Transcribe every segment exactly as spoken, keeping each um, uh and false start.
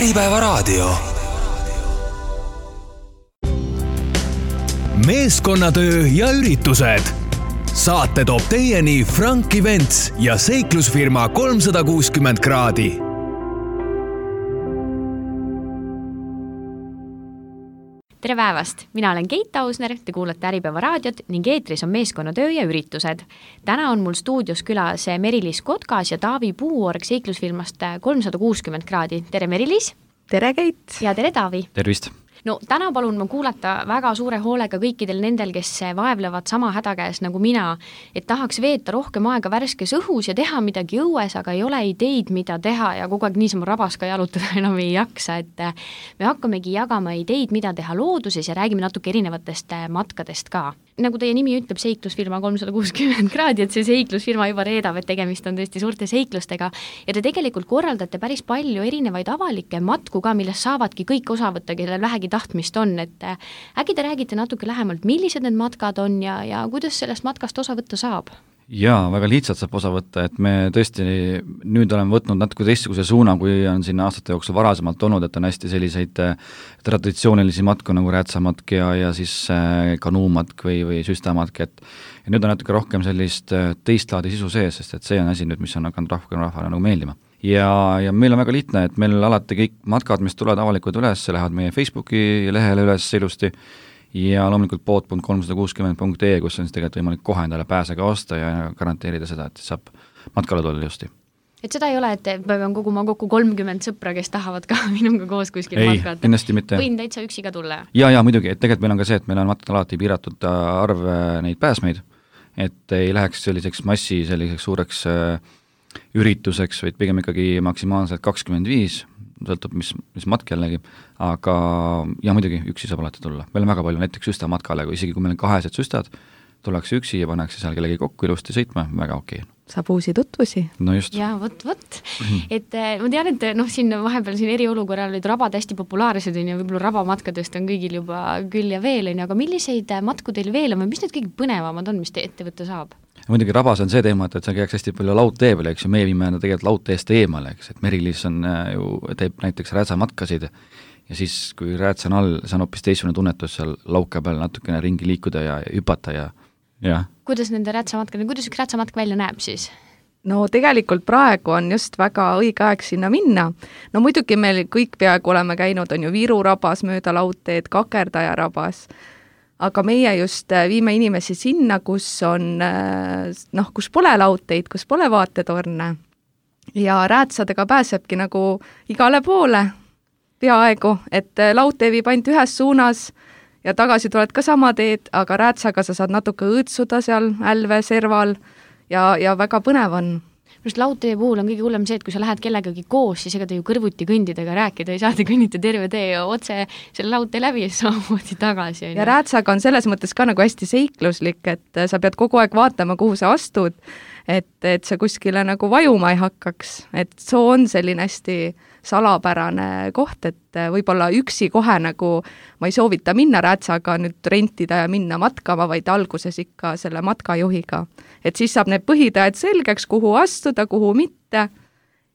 Äripäevaraadio. Meeskonnatöö ja üritused. Saate toob teieni Frank Events ja seiklusfirma kolmsada kuuskümmend kraadi. Tere päevast! Mina olen Keit Ausner, te kuulate Äripäeva raadiot ning eetris on meeskonnatöö ja üritused. Täna on mul stuudios külas Meri-Liis Kotkas ja Taavi Puuorg seiklusfirmast kolmsada kuuskümmend kraadi. Tere Meri-Liis! Tere Keit! Ja tere Taavi! Tervist! No täna palun ma kuulata väga suure hoolega kõikidel nendel, kes vaevlevad sama häda käes nagu mina, et tahaks veeta rohkem aega värskes õhus ja teha midagi õues, aga ei ole ideid, mida teha ja kogu aeg niisama rabas ka jalutada enam ei jaksa, et me hakkamegi jagama ideid, mida teha looduses ja räägime natuke erinevatest matkadest ka. Nagu teie nimi ütleb, seiklusfirma kolmsada kuuskümmend kraadi, et see seiklusfirma juba reedab, et tegemist on tõesti suurte seiklustega ja te tegelikult korraldate päris palju erinevaid avalikke matku ka, millest saavadki kõik osa võtta, kellel vähegi tahtmist on, et äkki te räägite natuke lähemalt, millised need matkad on ja, ja kuidas sellest matkast osa võtta saab? Jaa, väga lihtsalt saab osa võtta, et me tõesti nüüd oleme võtnud natuke teistsuguse suuna, kui on siin aastate jooksul varasemalt olnud, et on hästi selliseid traditsioonilisi matku nagu räätsamatk ja, ja siis kanuumatk või, või süstamatk, et ja nüüd on natuke rohkem sellist teist laadi sisu sees, sest et see on asi nüüd, mis on hakanud rohkem rahvale nagu meeldima. Ja, ja meil on väga lihtne, et meil alati kõik matkad, mis tulevad avalikud üles, lähevad meie Facebooki lehele üles ilusti ja loomulikult pood punkt kolmsada kuuskümmend punkt ee, kus on siis tegelikult võimalik kohe endale pääsega osta ja garanteerida seda, et saab matkale tulla ilusti. Et seda ei ole, et pean koguma kokku kolmkümmend sõpra, kes tahavad ka minuga koos kuskil ei, matkata. Ei, ennasti mitte. Võin täitsa üksi ka tulla. Ja, ja muidugi, et tegelikult meil on ka see, et meil on matkal alati piiratud arv neid pääsmeid, et ei läheks selliseks massi, selliseks suureks ürituseks, vaid pigem ikkagi maksimaalselt kakskümmend viis, sõltub, mis, mis matk jällegi, aga ja muidugi üksi saab alati tulla. Meil on väga palju näiteks süstamatkale, kui isegi kui meil on kahesed süstad, tullakse üksi ja pannakse seal kellegi kokku ilusti sõitma, väga okei. Saab uusi tutvusi. No just. Ja võt, võt. Et ma tean, et noh, siin vahepeal siin eriolukorral olid rabad hästi populaarsed ja võib-olla rabamatkadest on kõigil juba küll ja veel, aga milliseid matku teil veel on või mis need kõige põnevamad on, mis te ette võtta saab? Muidugi rabas on see teema, et seal käiks hästi palju laudtee peale, eks ju, meie viime tegelikult laudteest eemale, eks, et Meri-Liis on ju, teeb näiteks räätsamatkasid ja siis, kui räätsa on all, see on hoopis teistsugune tunnetus seal lauke peal natukene ringi liikuda ja hüpata ja, ja. Kuidas nende räätsamatkad, kuidas üks räätsamatk välja näeb siis? No tegelikult praegu on just väga õige aeg sinna minna. No muidugi meil kõik peaaegu oleme käinud, on ju Viru rabas mööda laudteed, Kakerdaja rabas, aga meie just viime inimesi sinna, kus on, noh, kus pole laudteid, kus pole vaatetorne ja räätsadega pääsebki nagu igale poole peaaegu, et laudtee viib ainult ühes suunas ja tagasi tuled ka sama teed, aga räätsaga sa saad natuke õõtsuda seal älve, serval ja, ja väga põnev on. Just laudtee puhul on kõige hullem see, et kui sa lähed kellegagi koos, siis ega te ju kõrvuti kõndidega rääkida, ei saa te kõnnita terve tee otse selle laudtee läbi ja samamoodi tagasi. Ja räätsaga on selles mõttes ka nagu hästi seikluslik, et sa pead kogu aeg vaatama, kuhu sa astud, et, et sa kuskile nagu vajuma ei hakkaks, et soo on selline hästi salapärane koht, et võib-olla üksi kohe nagu ma ei soovita minna räätsaga nüüd rentida ja minna matkama, vaid alguses ikka selle matkajuhiga. Et siis saab need põhitõed selgeks, kuhu astuda, kuhu mitte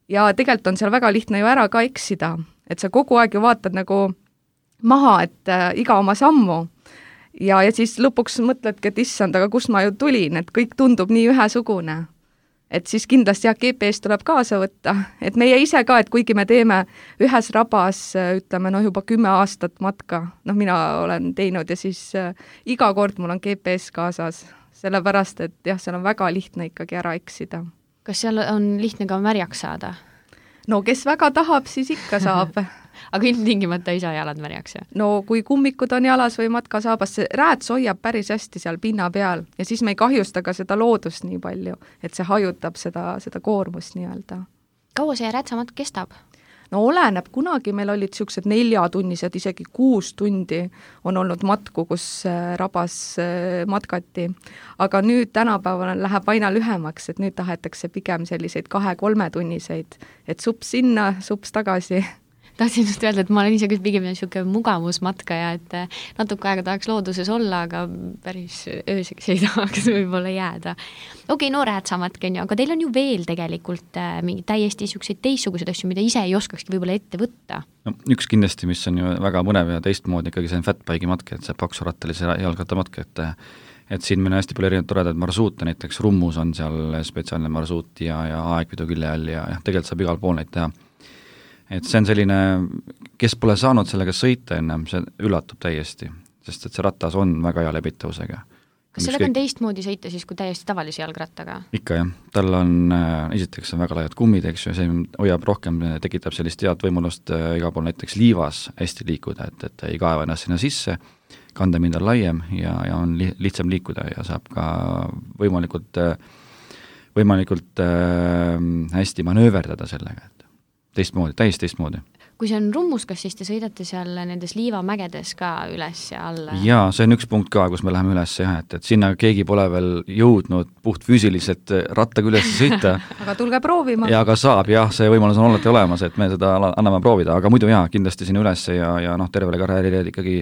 ja tegelikult on seal väga lihtne ju ära ka eksida, et sa kogu aeg ju vaatad nagu maha, et äh, iga oma sammu ja, ja siis lõpuks mõtledki, et issand, aga kust ma ju tulin, et kõik tundub nii ühesugune. Et siis kindlasti jah, G P S tuleb kaasa võtta, et meie ise ka, et kuigi me teeme ühes rabas, ütleme, no juba kümme aastat matka, noh, mina olen teinud ja siis äh, iga kord mul on G P S kaasas, sellepärast, et jah, seal on väga lihtne ikkagi ära eksida. Kas seal on lihtne ka märjaks saada? No kes väga tahab, siis ikka saab. Aga ilmtingimata ei saa jalad märjaks, jah? No kui kummikud on jalas või matkasaabas, see rääts hoiab päris hästi seal pinna peal ja siis me ei kahjusta ka seda loodust nii palju, et see hajutab seda, seda koormust nii-öelda. Kaua see räätsamatk kestab? No oleneb, kunagi meil olid niisugused neljatunnised, isegi kuus tundi on olnud matku, kus rabas matkati, aga nüüd tänapäeval läheb aina lühemaks, et nüüd tahetakse pigem selliseid kahe-kolme tunniseid, et sups sinna, sups tagasi. tahtsin just öelda, et ma olen ise küll pigem niisugune mugavusmatkaja, et natuke aega tahaks looduses olla, aga päris ööseks ei tahaks võib-olla jääda. Okei, okay, no räätsamatke on ju, aga teil on ju veel tegelikult mingi täiesti niisuguseid teistsuguseid asju, mida ise ei oskakski võib-olla ette võtta. No, üks kindlasti, mis on ju väga mõnev ja teistmoodi ikkagi see on fatbike'i matke, et see paksurattalise jalgrattamatke, et et siin meil on hästi palju erinevad toredad marsuute, näiteks Rummus on seal spetsiaalne marsuut ja, ja aegpidu külje all ja, ja tegelikult saab igal pool neid teha. Et see on selline, kes pole saanud sellega sõita ennem, see üllatub täiesti, sest et see ratas on väga hea lebitavusega. Kas sellega on teistmoodi sõita siis kui täiesti tavalise jalgrattaga? Ikka jah, tal on, esiteks on väga laiad kummid, eks ju, see hoiab rohkem, tekitab sellist head võimalust igal pool näiteks liivas hästi liikuda, et, et ei kaeva ennast sinna sisse, kandemind on laiem ja, ja on li, lihtsam liikuda ja saab ka võimalikult, võimalikult äh, hästi manööverdada sellega, et teistmoodi, täiesti teistmoodi. Kui see on Rummus, kas siis te sõidate seal nendes liivamägedes ka üles ja alla? Jaa, see on üks punkt ka, kus me läheme üles, jah, et, et sinna keegi pole veel jõudnud puht füüsiliselt rattaga üles sõita. Aga tulge proovima. Ja aga saab, jah, see võimalus on alati olemas, et me seda anname proovida, aga muidu jaa, kindlasti sinna üles ja, ja noh, tervele karjäärile ikkagi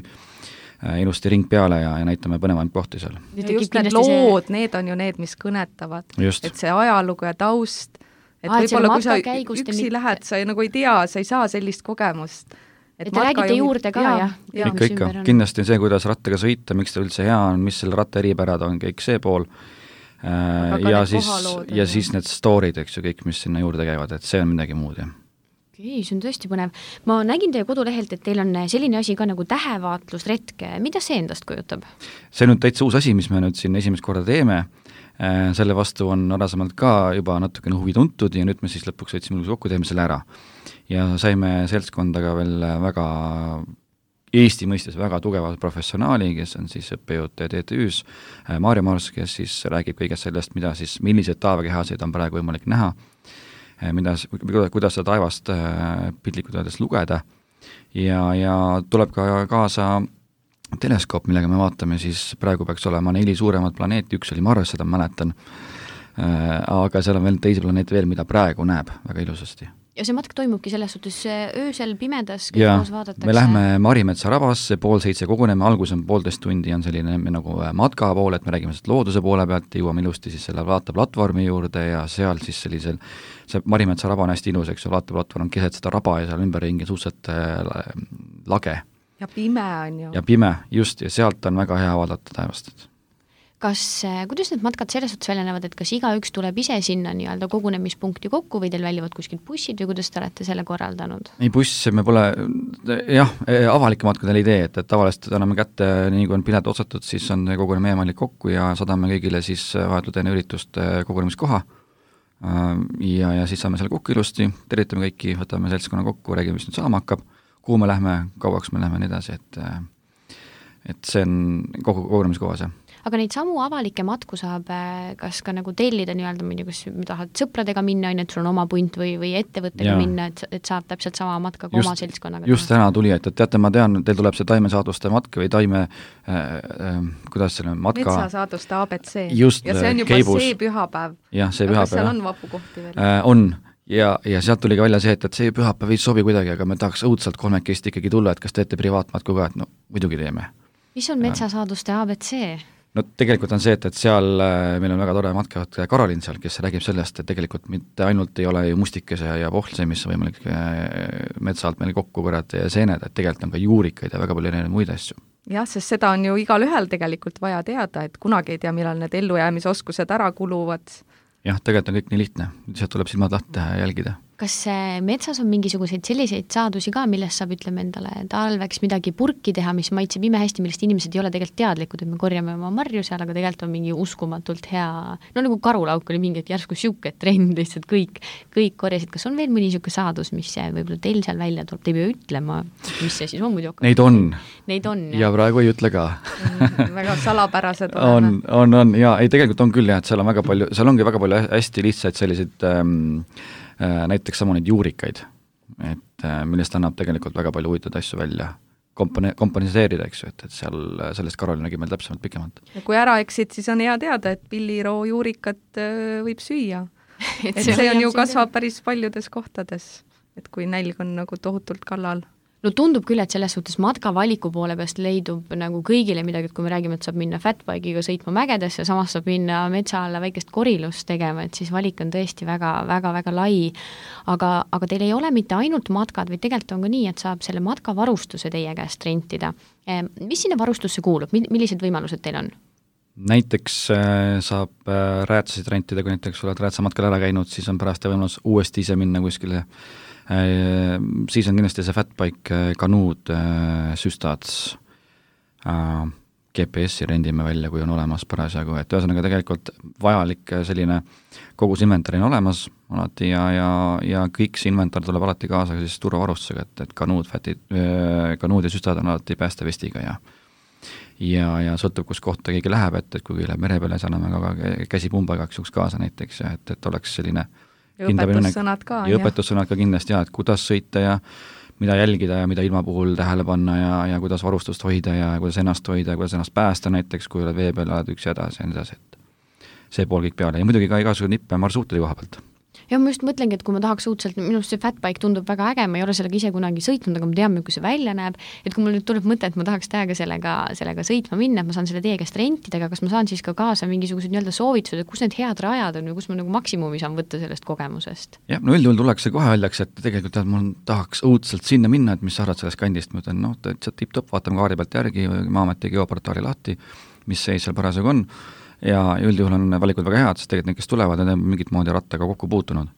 ilusti ring peale ja, ja näitame põnevaid kohti seal. Ja just need lood, see... need on ju need, mis kõnetavad. Just. Et see ajalugu ja taust, et ah, võib-olla kui sa üksi mitte... lähed, sa nagu ei tea, sa ei saa sellist kogemust. Et, et te räägite jõud... juurde ka, jah? Ja, ikka, ikka. Kindlasti see, kuidas rattaga sõita, miks ta üldse hea on, mis selle ratta eripärad on, kõik see pool. Ja siis, ja siis need storid, eks ju, kõik, mis sinna juurde käivad, et see on midagi muud, jah. Okei, see on tõesti põnev. Ma nägin teie kodulehelt, et teil on selline asi ka nagu tähevaatlusretke. Mida see endast kujutab? See on nüüd täitsa uus asi, mis me nüüd siin esimest korda teeme. Selle vastu on varasemalt ka juba natukene huvi tuntud ja nüüd me siis lõpuks võtsime kokku, teeme selle ära. Ja saime seltskondaga veel väga Eesti mõistes väga tugeva professionaali, kes on siis õppejõud T T Ü-s, Maarja Mars, kes siis räägib kõigest sellest, mida siis, millised taevakehasid on praegu võimalik näha, mida, kuidas seda taevast piltlikult öeldes lugeda ja, ja tuleb ka kaasa teleskoop, millega me vaatame, siis praegu peaks olema neli suuremat planeeti, üks oli Mars, seda mäletan, aga seal on veel teisi planeete veel, mida praegu näeb väga ilusasti. Ja see matk toimubki selles suhtes öösel pimedas, kõik koos vaadatakse? Me lähme Marimetsa rabasse, pool seitse koguneme, algus on poolteist tundi, on selline nagu matka pool, et me räägime looduse poole pealt, jõuame ilusti siis selle vaateplatvormi juurde ja seal siis sellisel, see Marimetsa raba on hästi ilus, eks ju, vaateplatvorm on keset seda raba ja seal ümberringi suhteliselt lage. Ja pime on ju. Ja pime, just, ja sealt on väga hea vaadata taevast. Kas, kuidas need matkad selles suhtes välja näevad, et kas igaüks tuleb ise sinna nii-öelda kogunemispunkti kokku või teil väljuvad kuskilt bussid või kuidas te olete selle korraldanud? Ei, buss, me pole, jah, avalike matkadel idee, et, et tavaliselt anname kätte, nii kui on pilet otsatud, siis on koguneme eemalik kokku ja sadame kõigile siis vahetult enne üritust kogunemiskoha ja, ja siis saame selle kokku ilusti, tervitame kõiki, võtame seltskonna kokku, räägime, mis nüüd saama hakkab, kuhu me lähme, kauaks me lähme nii edasi, et, et see on kogu kogunemiskohas, jah. Aga neid samu avalikke matku saab kas ka nagu tellida nii-öelda, ma ei tea, kas tahad sõpradega minna, et sul on oma punt või, või ettevõttega ja. minna, et, et saab täpselt sama matka kui oma seltskonnaga. Just täna tuli, et, et teate, ma tean, teil tuleb see taimesaaduste matk või taime, äh, äh, kuidas selle matka... Metsasaaduste A B C. Just, ja see on juba keibus. See pühapäev. Jah, see pühapäev. Kas seal on vapukohti veel? Äh, on. Ja, ja sealt tuli ka välja see, et, et see pühapäev ei sobi kuidagi, aga me tahaks õudselt kolmekesti ikkagi tulla, et kas teete privaatmatku ka, et no muidugi teeme. Mis on metsasaaduste A B C? No tegelikult on see, et, et seal meil on väga tore matkejuht Karolin seal, kes räägib sellest, et tegelikult mitte ainult ei ole ju mustikese ja pohlse, mis on võimalik metsalt meil kokku korjata ja seened, et tegelikult on ka juurikaid ja väga palju erinevaid muid asju. Jah, sest seda on ju igal ühel tegelikult vaja teada, et kunagi ei tea, millal need ellujäämisoskused ära kuluvad. Jah, tegelikult on kõik nii lihtne, sealt tuleb silmad lahti ja jälgida. Kas metsas on mingisuguseid selliseid saadusi ka, millest saab, ütleme endale, talveks midagi purki teha, mis maitseb ime hästi, millest inimesed ei ole tegelikult teadlikud, et me korjame oma marju seal, aga tegelikult on mingi uskumatult hea, no nagu karulauk oli mingi, et järsku siuke trend, lihtsalt kõik, kõik korjasid. Kas on veel mõni siuke saadus, mis võib-olla teil seal välja tuleb, te ei pea ütlema, mis see siis on muidu? Neid on. Neid on, jah. Ja praegu ei ütle ka. väga salapärased on, on, on, ja ei, tegelikult on küll jah, et seal on väga palju, seal ongi väga palju hästi lihtsaid selliseid ähm, näiteks samu neid juurikaid, et millest annab tegelikult väga palju huvitatud asju välja kompone-, komponiseerida, eks ju, et, et seal sellest Karol nägi meil täpsemalt pikemalt. Ja kui ära eksid, siis on hea teada, et pilliroo juurikat võib süüa. et see, see on ju kasvab päris paljudes kohtades. et kui nälg on nagu tohutult kallal. No tundub küll, et selles suhtes matkavaliku poole peast leidub nagu kõigile midagi, et kui me räägime, et saab minna fatbike'iga sõitma mägedesse, samas saab minna metsa alla väikest korilust tegema, et siis valik on tõesti väga, väga, väga lai. Aga, aga teil ei ole mitte ainult matkad, vaid tegelikult on ka nii, et saab selle matkavarustuse teie käest rentida. Mis sinna varustusse kuulub, millised võimalused teil on? Näiteks saab räätsasid rentida, kui näiteks oled räätsamatkal ära käinud, siis on pärast võimalus uuesti ise minna kuskile. Siis on kindlasti see fatbike, kanuud, süstad, G P S-i rendime välja, kui on olemas parasjagu, et ühesõnaga tegelikult vajalik selline kogus inventar on olemas alati ja, ja, ja kõik see inventar tuleb alati kaasa siis turvavarustusega, et, et kanuud, fatid, kanuud ja süstad on alati päästevestiga ja ja, ja sõltub, kus kohta keegi läheb, et, et kui läheb mere peale, siis anname ka käsipumba igaks juhuks kaasa näiteks ja et, et oleks selline ja õpetussõnad ka. Ja õpetussõnad ka kindlasti, ja, et kuidas sõita ja mida jälgida ja mida ilma puhul tähele panna ja, ja kuidas varustust hoida ja kuidas ennast hoida ja kuidas ennast päästa näiteks, kui oled vee peal, oled üks hädas ja nii edasi, et see pool kõik peale ja muidugi ka igasugune nippe marsruutide koha pealt. Ja ma just mõtlengi, et kui ma tahaks uudselt, minust see fatbike tundub väga äge, ma ei ole sellega ise kunagi sõitnud, aga ma tean, kui see välja näeb, et kui mul nüüd tuleb mõte, et ma tahaks täiega sellega, sellega sõitma minna, et ma saan selle teie käest rentida, aga kas ma saan siis ka kaasa mingisugused nii-öelda soovitused, et kus need head rajad on või kus ma nagu maksimumi saan võtta sellest kogemusest? Jah, no üldjuhul tullakse kohe öeldakse, et tegelikult tead, mul tahaks õudselt sinna minna, et mis sa arvad sellest kandist, ma ütlen, noh, et see tipp-top, vaatame kaari pealt järgi, Maa-ameti geoportaali lahti, mis seis seal parasjagu on ja üldjuhul on valikud väga head, sest tegelikult need, kes tulevad, need on mingit moodi rattaga kokku puutunud.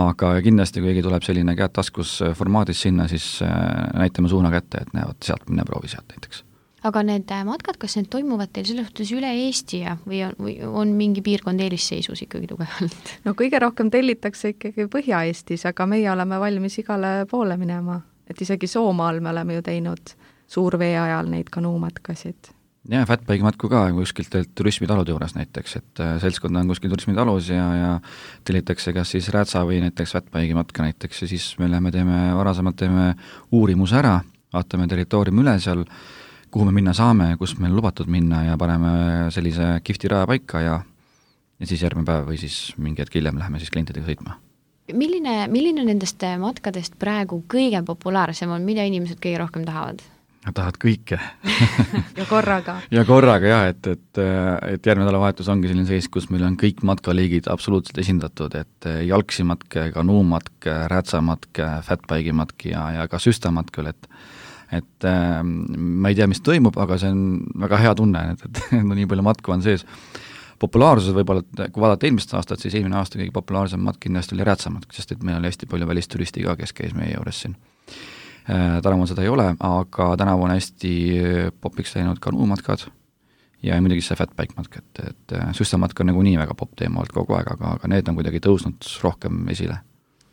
Aga kindlasti, kui keegi tuleb selline käed taskus formaadis sinna, siis näitame suuna kätte, et näevad sealt, minne proovi sealt näiteks. Aga need matkad, kas need toimuvad teil selles suhtes üle Eesti ja, või, on, või on mingi piirkond eelisseisus ikkagi tugevalt? No kõige rohkem tellitakse ikkagi Põhja-Eestis, aga meie oleme valmis igale poole minema. Et isegi Soomaal me oleme ju teinud suurvee ajal neid kanuumatkasid. Ja fatbike matku ka kuskilt turismitalude juures näiteks, et seltskond on kuskil turismitalus ja, ja tellitakse kas siis räätsa või näiteks fatbike'i matka näiteks ja siis me läheme teeme, varasemalt teeme uurimuse ära, vaatame territooriumi üle seal, kuhu me minna saame, kus meil lubatud minna ja paneme sellise kihvti raja paika ja, ja siis järgmine päev või siis mingi hetk hiljem läheme siis klientidega sõitma. Milline, milline nendest matkadest praegu kõige populaarsem on, mida inimesed kõige rohkem tahavad? Tahad kõike. ja korraga. ja korraga jah, et, et, et järgmine nädalavahetus ongi selline seis, kus meil on kõik matkaliigid absoluutselt esindatud, et jalksimatk, kanuumatk, räätsamatk, fatbike'i matk ja, ja ka süstamatk küll, et et äh, ma ei tea, mis toimub, aga see on väga hea tunne, et, et no nii palju matku on sees. Populaarsus võib-olla, kui vaadata eelmist aastat, siis eelmine aasta kõige populaarsem matk kindlasti oli räätsamatk, sest et meil oli hästi palju välisturisti ka, kes käis meie juures siin. Tänavu seda ei ole, aga tänavu on hästi popiks läinud kanuumatkad ja muidugi see fatbike matk, et, et süstamatk on nagu nii väga pop teema olnud kogu aeg, aga, aga need on kuidagi tõusnud rohkem esile.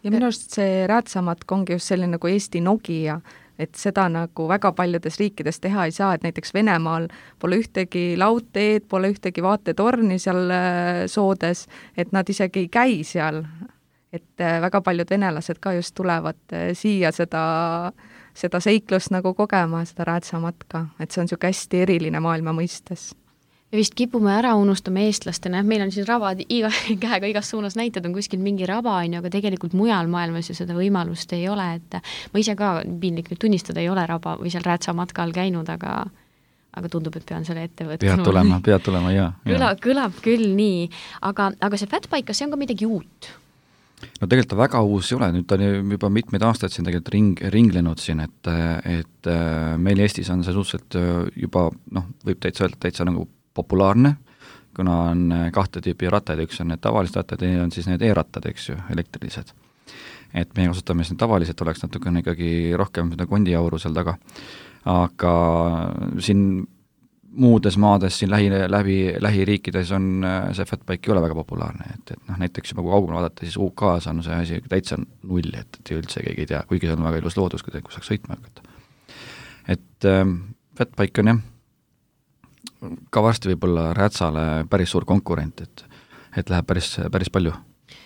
Ja minu arust see räätsamatk ongi just selline nagu Eesti Nokia, et seda nagu väga paljudes riikides teha ei saa, et näiteks Venemaal pole ühtegi laudteed, pole ühtegi vaatetorni seal soodes, et nad isegi ei käi seal. Et väga paljud venelased ka just tulevad siia seda, seda seiklust nagu kogema, seda räätsamatka, et see on siuke hästi eriline maailma mõistes. Ja vist kipume ära unustama eestlastena, meil on siin rabad iga, käega igas suunas näited, on kuskil mingi raba, aga tegelikult mujal maailmas ju seda võimalust ei ole, et ma ise ka piinlik nüüd tunnistada ei ole raba või seal räätsamatkal käinud, aga aga tundub, et pean selle ette võtma. Pead tulema, pead tulema, jaa. Kõlab, kõlab küll nii, aga, aga see fatbike, kas see on ka midagi uut? No tegelikult ta väga uus ei ole, nüüd ta on juba mitmeid aastaid siin tegelikult ring, ringlenud siin, et, et meil Eestis on see suhteliselt juba, noh, võib täitsa öelda, täitsa nagu populaarne, kuna on kahte tüüpi rattaid, üks on need tavalised rattad ja on siis need e-rattad, eks ju, elektrilised. Et me kasutame siin tavaliselt, oleks natukene ikkagi rohkem seda kondiauru seal taga, aga siin muudes maades siin lähi, läbi, lähiriikides on see fatbike ei ole väga populaarne, et, et noh, näiteks juba kui kaugele vaadata, siis U K-s on see asi täitsa null, et, et üldse keegi ei tea, kuigi see on väga ilus loodus, kui saaks sõitma hakata. Et ähm, fatbike on jah, ka varsti võib-olla räätsale päris suur konkurent, et, et läheb päris, päris palju.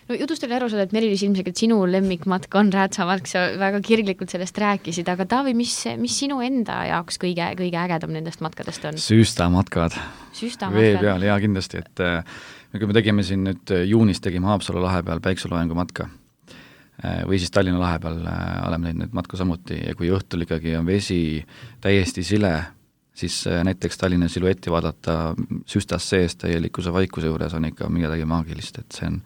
No jutust oli aru saada, et Merilis ilmselt sinu lemmikmatk on räätsamatk, sa väga kirglikult sellest rääkisid, aga Taavi, mis, mis sinu enda jaoks kõige, kõige ägedam nendest matkadest on? Süstamatkad. Süstamatkad. Vee peal, jaa, kindlasti, et kui me tegime siin nüüd juunis, tegime Haapsalu lahe peal päikseloengu matka, või siis Tallinna lahe peal oleme teinud neid matku samuti ja kui õhtul ikkagi on vesi täiesti sile, siis näiteks Tallinna siluetti vaadata süstas sees täielikuse vaikuse juures on ikka midagi maagilist, et see on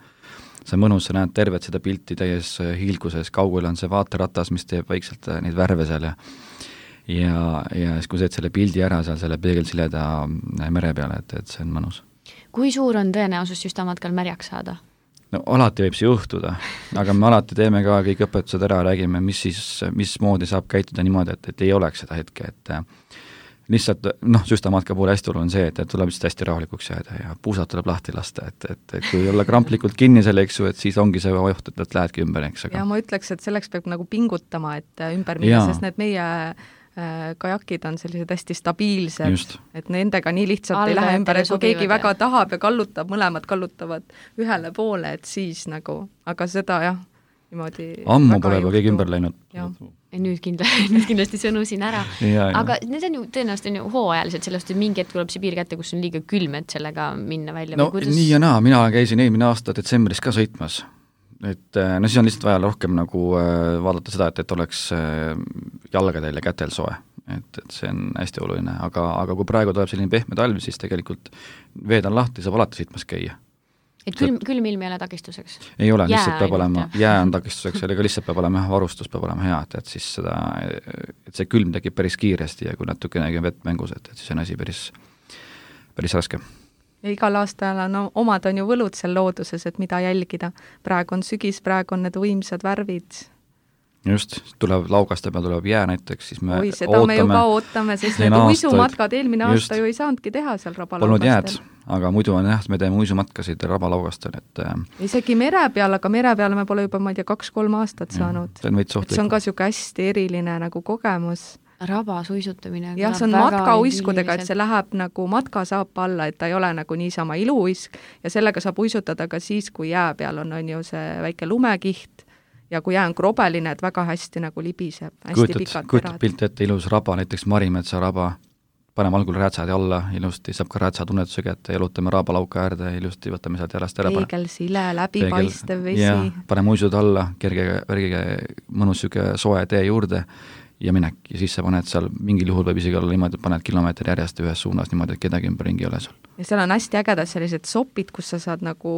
see on mõnus, sa näed tervet seda pilti täies hiilguses, kaugel on see vaateratas, mis teeb vaikselt neid värve seal ja ja, ja siis kui sa teed selle pildi ära seal selle peegelsileda mere peale, et, et see on mõnus. Kui suur on tõenäosus süstamatkal märjaks saada? No alati võib see juhtuda, aga me alati teeme ka kõik õpetused ära, räägime, mis siis, mismoodi saab käituda niimoodi, et, et ei oleks seda hetke, et lihtsalt, noh, süstamatka puhul hästi oluline on see, et, et tuleb lihtsalt hästi rahulikuks jääda ja puusad tuleb lahti lasta, et, et, et kui olla kramplikult kinni selle, eks ju, et siis ongi see oht, et, et lähedki ümber, eks. Aga... ja ma ütleks, et selleks peab nagu pingutama, et ümber minna, sest need meie äh, kajakid on sellised hästi stabiilsed, Just. et nendega nii lihtsalt Alve, ei lähe ümber, et kui keegi ja. väga tahab ja kallutab, mõlemad kallutavad ühele poole, et siis nagu, aga seda jah, niimoodi ammu pole juba keegi ümber läinud. Nüüd, kindla, nüüd kindlasti sõnusin ära. Ja, aga ja. need on ju tõenäoliselt on ju hooajaliselt, sellest, et mingi hetk tuleb see piir kätte, kus on liiga külm, et sellega minna välja. No kuidas... nii ja naa, mina käisin eelmine aasta detsembris ka sõitmas. Et no siis on lihtsalt vaja rohkem nagu vaadata seda, et, et oleks jalgadel ja kätel soe. Et, et see on hästi oluline, aga, aga kui praegu tuleb selline pehme talv, siis tegelikult veed on lahti, saab alati sõitmas käia. Et külm, külm ilm ei ole takistuseks? Ei ole, lihtsalt peab olema, jää on takistuseks, aga lihtsalt peab olema varustus, peab olema hea, et, et siis seda, et see külm tekib päris kiiresti ja kui natukenegi on vett mängus, et, et siis on asi päris, päris raske. Ja igal aastal on, omad on ju võlud seal looduses, et mida jälgida. Praegu on sügis, praegu on need võimsad värvid. Just, tuleb laugaste peal, tuleb jää näiteks, siis me Oi, seda ootame, me ju ka ootame, sest need uisumatkad eelmine just, aasta ju ei saanudki teha seal rabalaugastel. Aga muidu on jah, me teeme uisumatkasid rabalaugastel, et isegi mere peal, aga mere peal me pole juba, ma ei tea, kaks-kolm aastat saanud. See on, see on ka siuke hästi eriline nagu kogemus. Rabas uisutamine. jah, see on matkauiskudega, et see läheb nagu matkasaapa alla, et ta ei ole nagu niisama iluuisk ja sellega saab uisutada ka siis, kui jää peal on, on ju see väike lumekiht ja kui jää on krobeline, et väga hästi nagu libiseb, hästi kujutad, pikad kujutad pilti ette ilus raba, näiteks Marimetsa raba, paneme algul räätsad alla, ilusti saab ka räätsa tunnetuse kätte, jalutame raabalauka äärde, ilusti võtame sealt jalast ära. Peegel, sile, läbipaistev vesi. Ja, paneme uisud alla, kerge, värgige mõnus süke soe tee juurde ja minek. Ja siis sa paned seal, mingil juhul võib isegi olla niimoodi, et paned kilomeetri järjest ühes suunas niimoodi, et kedagi ümber ringi ei ole seal. Ja seal on hästi ägedad sellised sopid, kus sa saad nagu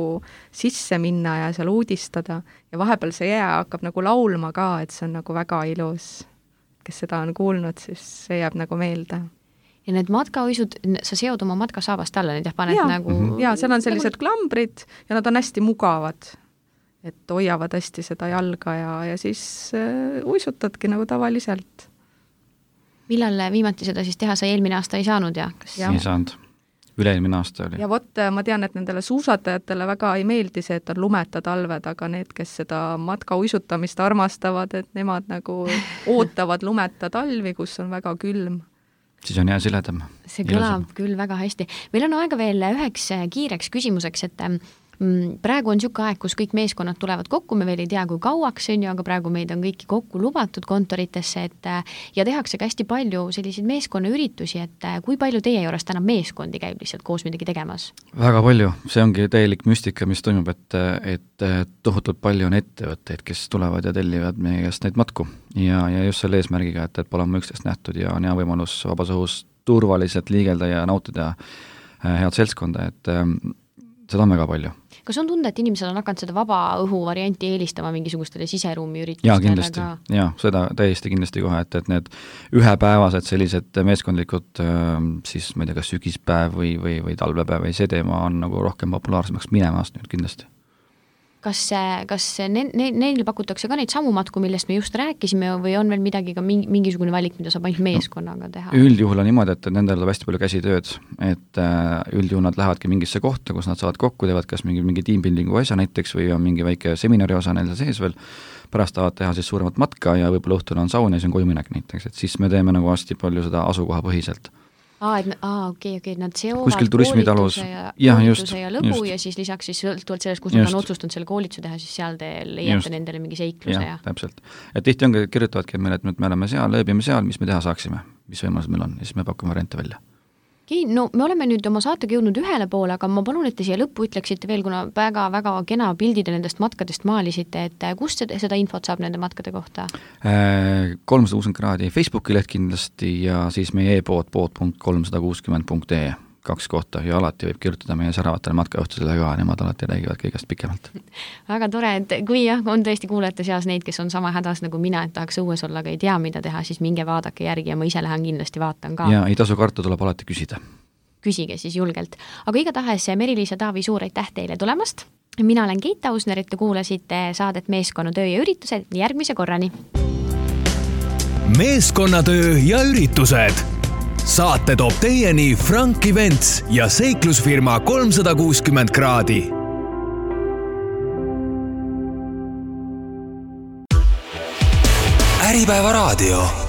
sisse minna ja seal uudistada ja vahepeal see jää hakkab nagu laulma ka, et see on nagu väga ilus. Kes seda on kuulnud, siis see jääb nagu meelde. Ja need matkauisud, sa seod oma matkasaabast alla, need jah paned ja, nagu... Mm-hmm. Ja, seal on sellised nagu... klambrid ja nad on hästi mugavad, et hoiavad hästi seda jalga ja, ja siis äh, uisutadki nagu tavaliselt. Millal viimati seda siis teha, sa eelmine aasta ei saanud ja? Kas... ei saanud. Üle-eelmine aasta oli. Ja vot, ma tean, et nendele suusatajatele väga ei meeldi see, et on lumeta talved, aga need, kes seda matka uisutamist armastavad, et nemad nagu ootavad lumeta talvi, kus on väga külm. Siis on hea siledam. See kõlab Ilusam. Küll väga hästi. Meil on aega veel üheks kiireks küsimuseks, et praegu on niisugune aeg, kus kõik meeskonnad tulevad kokku, me veel ei tea, kui kauaks on ju, aga praegu meid on kõiki kokku lubatud kontoritesse, et ja tehakse ka hästi palju selliseid meeskonnaüritusi, et kui palju teie juures täna meeskondi käib lihtsalt koos midagi tegemas? Väga palju, see ongi täielik müstika, mis toimub, et, et tohutult palju on ettevõtteid, kes tulevad ja tellivad meie käest neid matku ja, ja just selle eesmärgiga, et, et pole oma üksteist nähtud ja on hea võimalus vabas õhus turvaliselt liigelda ja nautida head seltskonda, et seda on väga palju. Kas on tunda, et inimesed on hakanud seda vaba õhu varianti eelistama mingisugustele siseruumi üritustele? Jaa, kindlasti. Ka... Jaa, seda täiesti kindlasti kohe, et, et need ühepäevased sellised meeskondlikud siis, ma ei tea, kas sügispäev või, või, või talvepäev või see teema on nagu rohkem populaarsemaks minemas nüüd kindlasti. Kas, kas ne, ne, neil pakutakse ka neid samu matku, millest me just rääkisime või on veel midagi ka mingisugune valik, mida saab ainult meeskonnaga teha? Üldjuhul on niimoodi, et nendel tuleb hästi palju käsitööd, et üldjuhul nad lähevadki mingisse kohta, kus nad saavad kokku, teevad kas mingi, mingi tiimbuildingu asja näiteks või on mingi väike seminari osa neil sees veel, pärast tahavad teha siis suuremat matka ja võib-olla õhtul on saun ja siis on koju minek näiteks, et siis me teeme nagu hästi palju seda asukoha põhiselt. Aa, et aa, okei, okei, nad seovad koolituse ja, ja, koolituse just, ja lõbu just. Ja siis lisaks siis sõltuvalt sellest, kus nad on otsustanud selle koolituse teha, siis seal te leiate nendele mingi seikluse. Ja, ja. Täpselt. Et tihti ongi, kirjutavadki meile, et me oleme seal, lööbime seal, mis me teha saaksime, mis võimalused meil on ja siis me pakume variante välja. no me oleme nüüd oma saatega jõudnud ühele poole, aga ma palun, et te siia lõppu ütleksite veel, kuna väga-väga kena pildid nendest matkadest maalisite, et kust seda infot saab nende matkade kohta? kolmsada kuuskümmend kraadi Facebooki leht kindlasti ja siis meie e-pood pood punkt kolmsada kuuskümmend punkt ee kaks kohta ja alati võib kirjutada meie säravatele matkajuhtusele ka, nemad alati räägivad kõigest pikemalt. Väga tore, et kui jah, on tõesti kuulajate seas neid, kes on sama hädas nagu mina, et tahaks õues olla, aga ei tea, mida teha, siis minge vaadake järgi ja ma ise lähen kindlasti vaatan ka. Ja ei tasu karta, tuleb alati küsida. Küsige siis julgelt. Aga igatahes Meri-Liisa Taavi, suur aitäh teile tulemast. Mina olen Keit Ausner, et te kuulasite saadet Meeskonnatöö ja üritused järgmise korrani. Meeskonnatöö ja üritused. Saate toob teieni Frank Events ja seiklusfirma kolmsada kuuskümmend kraadi. Äripäeva raadio.